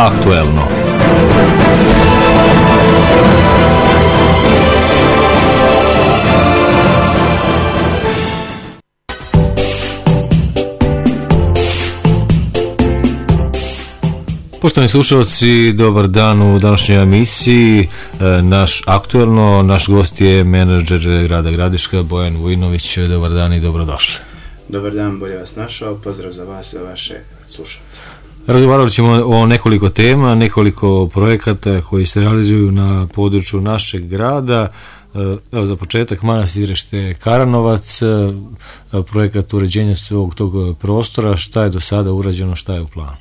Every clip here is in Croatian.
Aktuelno. Poštovani slušalci, dobar dan u današnjoj emisiji. Naš Aktuelno, naš gost je menadžer grada Gradiška, Bojan Vujinović. Dobar dan i dobrodošli. Dobar dan, bolje vas našao. Pozdrav za vas i za vaše slušalce. Razgovarali ćemo o nekoliko tema, nekoliko projekata koji se realizuju na području našeg grada. Evo za početak Manastirište Karanovac, projekat uređenja svog tog prostora. Šta je do sada urađeno, šta je u planu?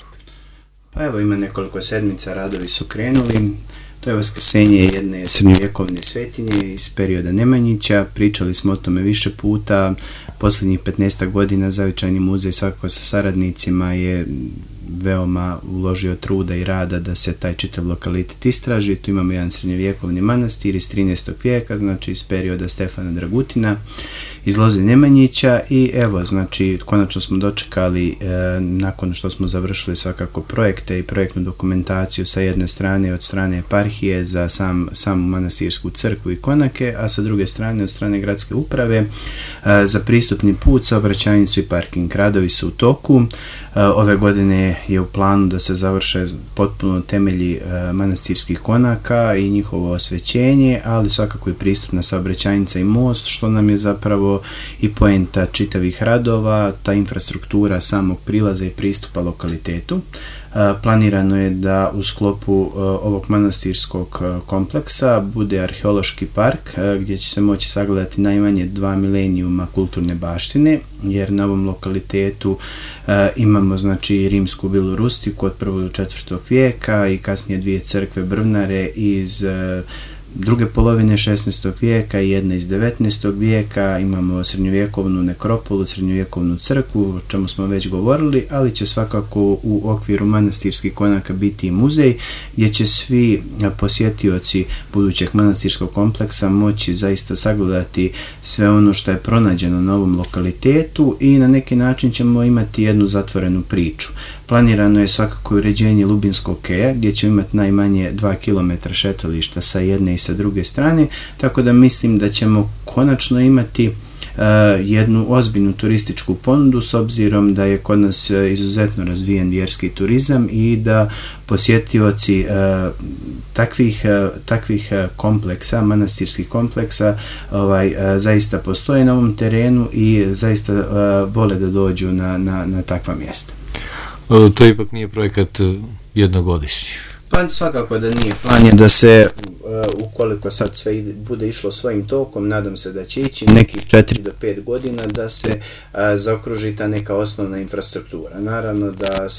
Pa evo, ima nekoliko sedmica, radovi su krenuli. To je vaskrsenje jedne srednjovjekovne svetinje iz perioda Nemanjića. Pričali smo o tome više puta. Posljednjih 15 godina Zavičajni muzej svakako sa saradnicima je veoma uložio truda i rada da se taj čitav lokalitet istraži. Tu imamo jedan srednjovjekovni manastir iz 13. vijeka, znači iz perioda Stefana Dragutina, iz loze Nemanjića, i evo, znači, konačno smo dočekali, nakon što smo završili svakako projekte i projektnu dokumentaciju sa jedne strane od strane eparhije za samu manastirsku crkvu i konake, a sa druge strane od strane gradske uprave za pristupni put, saobraćajnicu i parking. Radovi su u toku. Ove godine je u planu da se završe potpuno temelji manastirskih konaka i njihovo osvećenje, ali svakako i pristupna saobraćajnica i most, što nam je zapravo i poenta čitavih radova, ta infrastruktura samog prilaza i pristupa lokalitetu. Planirano je da u sklopu ovog manastirskog kompleksa bude arheološki park gdje će se moći sagledati najmanje 2 milenijuma kulturne baštine, jer na ovom lokalitetu imamo, znači, rimsku vilu rustiku od 1. do 4. vijeka i kasnije dvije crkve brvnare iz druge polovine 16. vijeka i jedna iz 19. vijeka. Imamo srednjovjekovnu nekropolu, srednjovjekovnu crkvu, o čemu smo već govorili, ali će svakako u okviru manastirskih konaka biti i muzej gdje će svi posjetioci budućeg manastirskog kompleksa moći zaista sagledati sve ono što je pronađeno na ovom lokalitetu i na neki način ćemo imati jednu zatvorenu priču. Planirano je svakako uređenje Lubinskog keja gdje će imati najmanje 2 km šetališta sa jedne i sa druge strane, tako da mislim da ćemo konačno imati jednu ozbiljnu turističku ponudu, s obzirom da je kod nas izuzetno razvijen vjerski turizam i da posjetioci takvih kompleksa, manastirskih kompleksa, zaista postoje na ovom terenu i zaista vole da dođu na takva mjesta. To ipak nije projekat jednogodišnji. Pa svakako da nije. Plan je da se, ukoliko sad sve bude išlo svojim tokom, nadam se da će ići nekih 4 do 5 godina da se zaokruži ta neka osnovna infrastruktura. Naravno da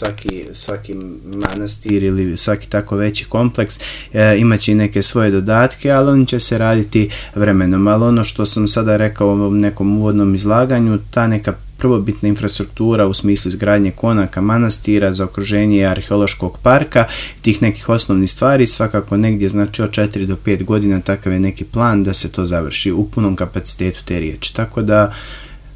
svaki manastir ili svaki tako veći kompleks imat će i neke svoje dodatke, ali oni će se raditi vremenom. Ali ono što sam sada rekao u nekom uvodnom izlaganju, ta neka prvobitna infrastruktura u smislu izgradnje konaka, manastira, za okruženje arheološkog parka, tih nekih osnovnih stvari, svakako negdje, znači od 4 do 5 godina takav je neki plan da se to završi u punom kapacitetu te riječi. Tako da,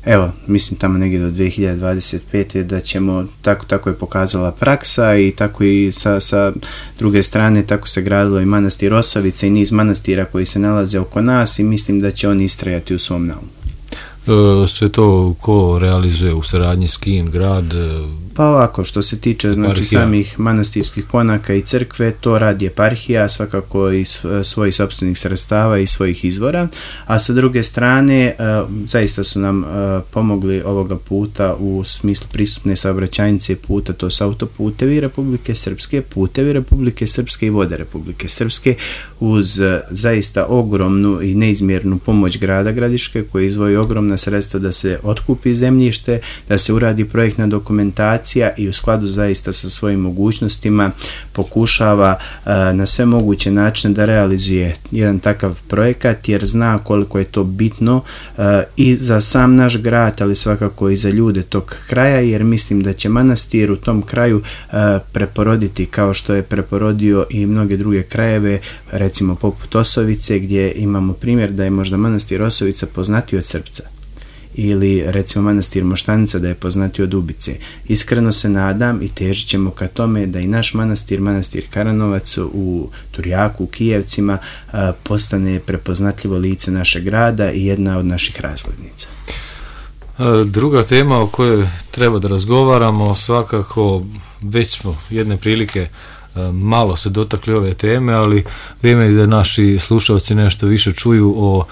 evo, mislim tamo negdje do 2025. da ćemo, tako je pokazala praksa i tako i sa druge strane tako se gradilo i manastir Osovica i niz manastira koji se nalaze oko nas i mislim da će oni istrajati u svom naumu. Sve to ko realizuje, u saradnji s kim, grad? Pa ovako, što se tiče, znači, samih manastirskih konaka i crkve, to radi eparhija, svakako iz svojih sopstvenih sredstava i svojih izvora, a sa druge strane zaista su nam pomogli ovoga puta u smislu pristupne saobraćajnice puta, to su autoputevi Republike Srpske, putevi Republike Srpske i vode Republike Srpske, uz zaista ogromnu i neizmjernu pomoć grada Gradiške koji izdvoji ogromna sredstva da se otkupi zemljište, da se uradi projektna dokumentacija i u skladu zaista sa svojim mogućnostima pokušava na sve moguće načine da realizuje jedan takav projekat, jer zna koliko je to bitno i za sam naš grad, ali svakako i za ljude tog kraja, jer mislim da će manastir u tom kraju preporoditi kao što je preporodio i mnoge druge krajeve, recimo poput Osovice, gdje imamo primjer da je možda manastir Osovica poznatiji od Srpca. ili recimo manastir Moštanica da je poznatiji od Ubice. Iskreno se nadam i težit ćemo ka tome da i naš manastir Karanovac u Turjaku, u Kijevcima postane prepoznatljivo lice našeg grada i jedna od naših razglednica. Druga tema o kojoj treba da razgovaramo, svakako već smo jedne prilike malo se dotakli ove teme, ali vrijeme je da naši slušalci nešto više čuju o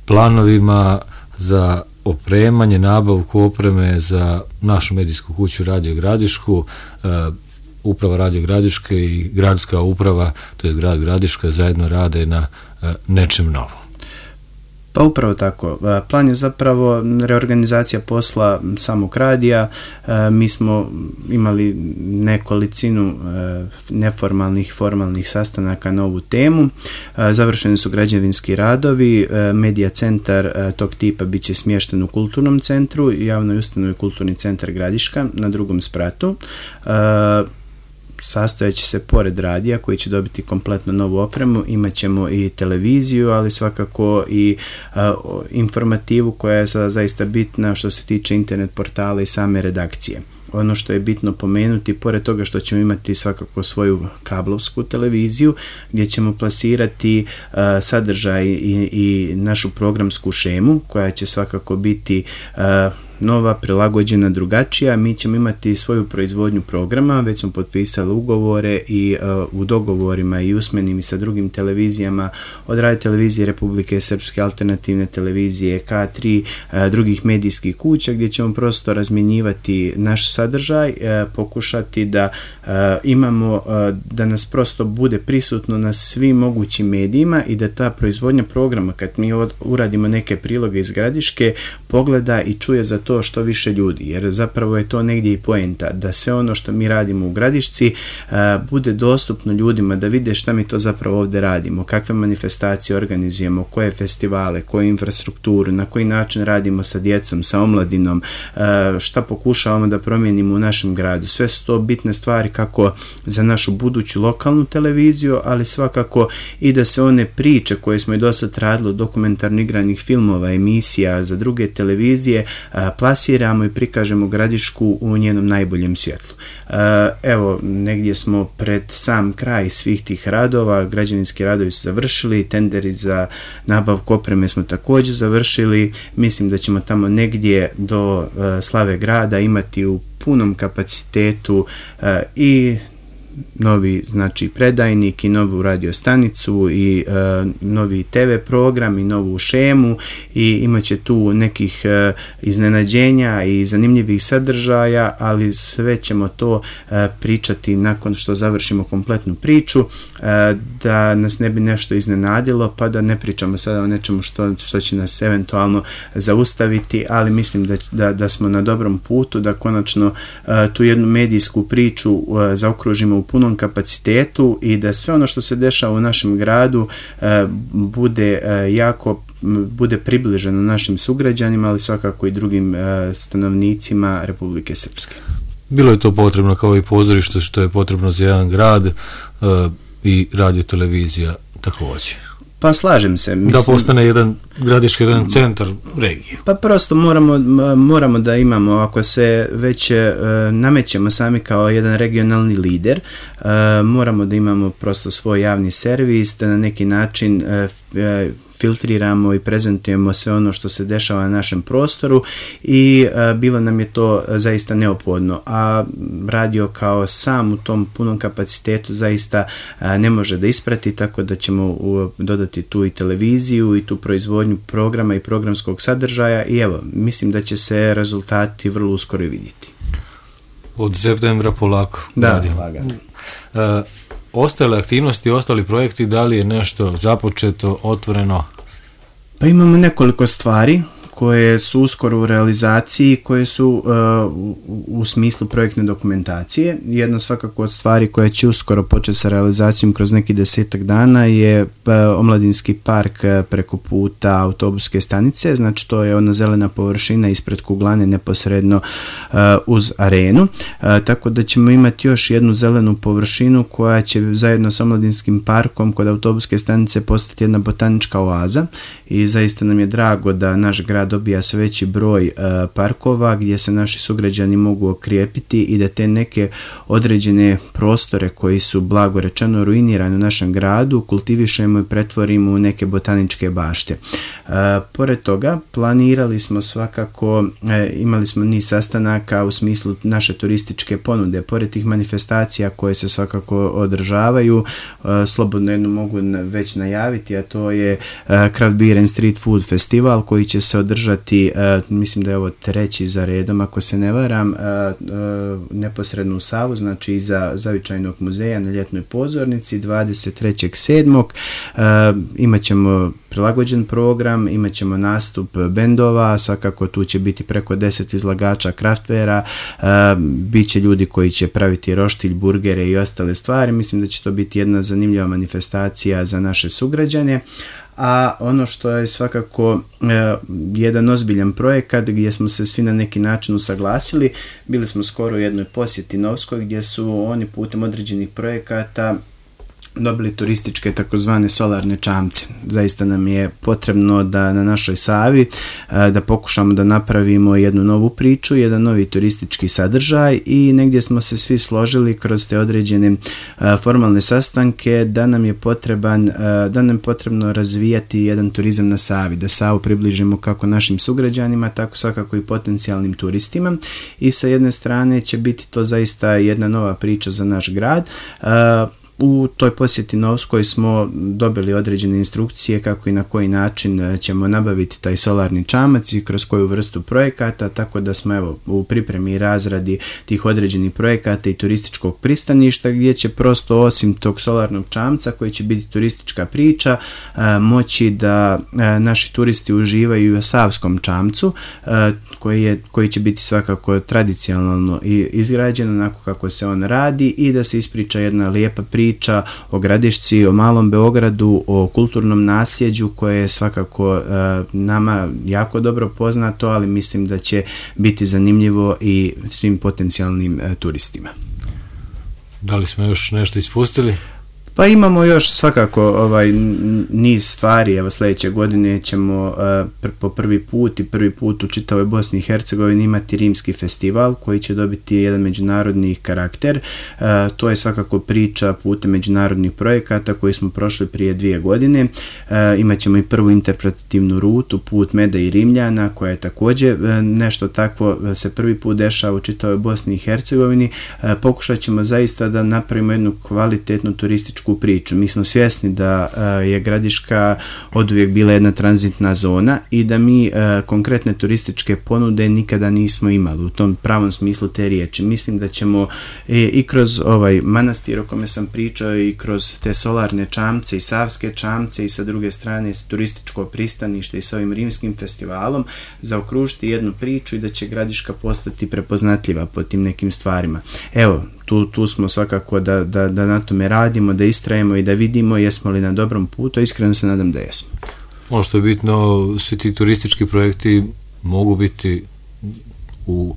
planovima za opremanje, nabavku opreme za našu medijsku kuću Radio Gradišku. Uprava Radio Gradiške i gradska uprava, to je grad Gradiška, zajedno rade na nečem novom. Pa upravo tako. Plan je zapravo reorganizacija posla samog radija. Mi smo imali nekolicinu neformalnih i formalnih sastanaka na ovu temu. Završeni su građevinski radovi. Medija centar tog tipa bit će smješten u kulturnom centru, javnoj ustanovi Kulturni centar Gradiška na drugom spratu. Sastojeći se pored radija koji će dobiti kompletno novu opremu, imat ćemo i televiziju, ali svakako i informativu koja je zaista bitna što se tiče internet portala i same redakcije. Ono što je bitno pomenuti, pored toga što ćemo imati svakako svoju kablovsku televiziju gdje ćemo plasirati sadržaj i našu programsku šemu koja će svakako biti nova, prilagođena, drugačija. Mi ćemo imati svoju proizvodnju programa, već smo potpisali ugovore i u dogovorima i usmenim i sa drugim televizijama od Radio Televizije Republike Srpske, Alternativne televizije, K3, drugih medijskih kuća gdje ćemo prosto razmjenjivati naš sadržaj, pokušati da imamo, da nas prosto bude prisutno na svim mogućim medijima i da ta proizvodnja programa, kad mi uradimo neke priloge iz Gradiške, pogleda i čuje za to što više ljudi, jer zapravo je to negdje i poenta, da sve ono što mi radimo u Gradišci bude dostupno ljudima, da vide šta mi to zapravo ovdje radimo, kakve manifestacije organizujemo, koje festivale, koju infrastrukturu, na koji način radimo sa djecom, sa omladinom, šta pokušavamo da promijenimo u našem gradu. Sve su to bitne stvari kako za našu buduću lokalnu televiziju, ali svakako i da se one priče koje smo i do sad radili, dokumentarno igranih filmova, emisija za druge televizije, plasiramo i prikažemo Gradišku u njenom najboljem svjetlu. Evo, negdje smo pred sam kraj svih tih radova, građevinski radovi su završili, tenderi za nabavku opreme smo također završili, mislim da ćemo tamo negdje do slave grada imati u punom kapacitetu i novi znači predajnik i novu radiostanicu i novi TV program i novu šemu i imat će tu nekih iznenađenja i zanimljivih sadržaja, ali sve ćemo to pričati nakon što završimo kompletnu priču, da nas ne bi nešto iznenadilo, pa da ne pričamo sada o nečemu što će nas eventualno zaustaviti, ali mislim da smo na dobrom putu, da konačno tu jednu medijsku priču zaokružimo u punom kapacitetu i da sve ono što se dešava u našem gradu bude približeno našim sugrađanima, ali svakako i drugim stanovnicima Republike Srpske. Bilo je to potrebno kao i pozorište što je potrebno za jedan grad i radio televizija također. Pa slažem se. Mislim, da postane jedan Gradiški, jedan centar regije. Pa prosto moramo da imamo, ako se već namećemo sami kao jedan regionalni lider, moramo da imamo prosto svoj javni servis, da na neki način filtriramo i prezentujemo sve ono što se dešava na našem prostoru i bilo nam je to zaista neophodno, a radio kao sam u tom punom kapacitetu zaista ne može da isprati, tako da ćemo dodati tu i televiziju i tu proizvodnju programa i programskog sadržaja i evo, mislim da će se rezultati vrlo uskoro vidjeti. Od septembra polako. Da, lagano. Ostale aktivnosti, ostali projekti, da li je nešto započeto, otvoreno? Pa imamo nekoliko stvari koje su uskoro u realizaciji, koje su u smislu projektne dokumentacije. Jedna svakako od stvari koja će uskoro početi sa realizacijom kroz neki 10 dana je omladinski park preko puta autobuske stanice, znači to je ona zelena površina ispred kuglane neposredno uz arenu, tako da ćemo imati još jednu zelenu površinu koja će zajedno sa omladinskim parkom kod autobuske stanice postati jedna botanička oaza i zaista nam je drago da naš grad grad dobija sve veći broj parkova gdje se naši sugrađani mogu okrijepiti i da te neke određene prostore koji su blago rečeno ruinirani u našem gradu kultivišemo i pretvorimo u neke botaničke bašte. Pored toga planirali smo svakako, imali smo niz sastanaka u smislu naše turističke ponude. Pored tih manifestacija koje se svakako održavaju, slobodno jedno mogu već najaviti, a to je Craft Beer and Street Food Festival koji će se održati, mislim da je ovo 3. za redom ako se ne varam, neposredno u Savu, znači iza Zavičajnog muzeja na ljetnoj pozornici 23.7. Imat ćemo prilagođen program, imat ćemo nastup bendova, svakako tu će biti preko 10 izlagača kraftvera, bit će ljudi koji će praviti roštilj, burgere i ostale stvari. Mislim da će to biti jedna zanimljiva manifestacija za naše sugrađane. A ono što je svakako jedan ozbiljan projekat gdje smo se svi na neki način usaglasili, bili smo skoro u jednoj posjeti Novskoj gdje su oni putem određenih projekata dobili turističke takozvane solarne čamce. Zaista nam je potrebno da na našoj Savi da pokušamo da napravimo jednu novu priču, jedan novi turistički sadržaj i negdje smo se svi složili kroz te određene formalne sastanke da nam je potrebno razvijati jedan turizam na Savi, da Savu približimo kako našim sugrađanima, tako svakako i potencijalnim turistima i sa jedne strane će biti to zaista jedna nova priča za naš grad. U toj posjeti Novskoj smo dobili određene instrukcije kako i na koji način ćemo nabaviti taj solarni čamac i kroz koju vrstu projekata, tako da smo evo u pripremi i razradi tih određenih projekata i turističkog pristaništa gdje će prosto osim tog solarnog čamca koji će biti turistička priča moći da naši turisti uživaju i u savskom čamcu koji će biti svakako tradicionalno izgrađen onako kako se on radi i da se ispriča jedna lijepa priča o Gradišci, o Malom Beogradu, o kulturnom nasljeđu koje je svakako nama jako dobro poznato, ali mislim da će biti zanimljivo i svim potencijalnim turistima. Da li smo još nešto ispustili? Pa imamo još svakako niz stvari. Evo sljedeće godine ćemo po prvi put u čitavoj Bosni i Hercegovini imati rimski festival koji će dobiti jedan međunarodni karakter. To je svakako priča putem međunarodnih projekata koji smo prošli prije 2 godine. Imat ćemo i prvu interpretativnu rutu, put meda i Rimljana, koja je također nešto takvo se prvi put dešava u čitavoj Bosni i Hercegovini. Pokušat ćemo zaista da napravimo jednu kvalitetnu turističku priču. Mi smo svjesni da je Gradiška oduvijek bila jedna tranzitna zona i da mi konkretne turističke ponude nikada nismo imali u tom pravom smislu te riječi. Mislim da ćemo i kroz ovaj manastir o kome sam pričao i kroz te solarne čamce i savske čamce i sa druge strane turističko pristanište i s ovim rimskim festivalom zaokružiti jednu priču i da će Gradiška postati prepoznatljiva po tim nekim stvarima. Evo, tu smo svakako da na tome radimo, da istrajemo i da vidimo jesmo li na dobrom putu, iskreno se nadam da jesmo. Ono što je bitno, svi ti turistički projekti mogu biti u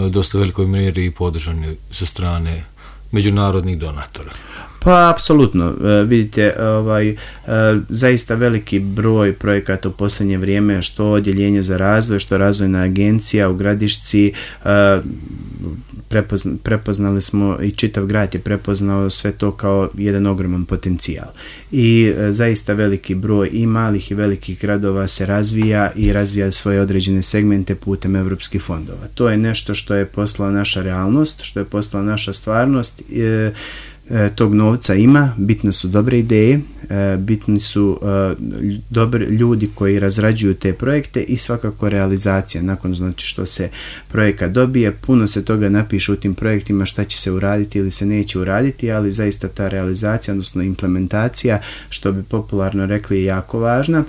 dosta velikoj mjeri podržani sa strane međunarodnih donatora. Pa, apsolutno. Vidite, zaista veliki broj projekata u posljednje vrijeme, što odjeljenje za razvoj, što razvojna agencija u Gradišci, prepoznali smo i čitav grad je prepoznao sve to kao jedan ogroman potencijal. I zaista veliki broj i malih i velikih gradova se razvija i razvija svoje određene segmente putem evropskih fondova. To je nešto što je postala naša realnost, što je postala naša stvarnost. Tog novca ima, bitne su dobre ideje, bitni su dobri ljudi koji razrađuju te projekte i svakako realizacija. Nakon znači što se projekat dobije, puno se toga napiše u tim projektima šta će se uraditi ili se neće uraditi, ali zaista ta realizacija, odnosno implementacija, što bi popularno rekli, je jako važna.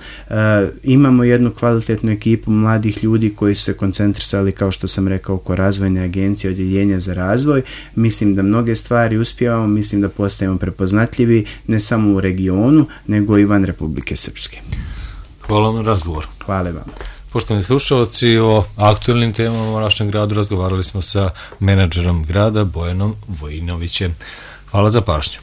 Imamo jednu kvalitetnu ekipu mladih ljudi koji su se koncentrisali, kao što sam rekao, oko razvojne agencije, odjeljenja za razvoj. Mislim da mnoge stvari uspijevamo, mislim da postajemo prepoznatljivi ne samo u regionu, nego i van Republike Srpske. Hvala vam na razgovor. Hvala vam. Poštovani slušalci, o aktualnim temama u našem gradu razgovarali smo sa menadžerom grada Bojanom Vojinovićem. Hvala za pažnju.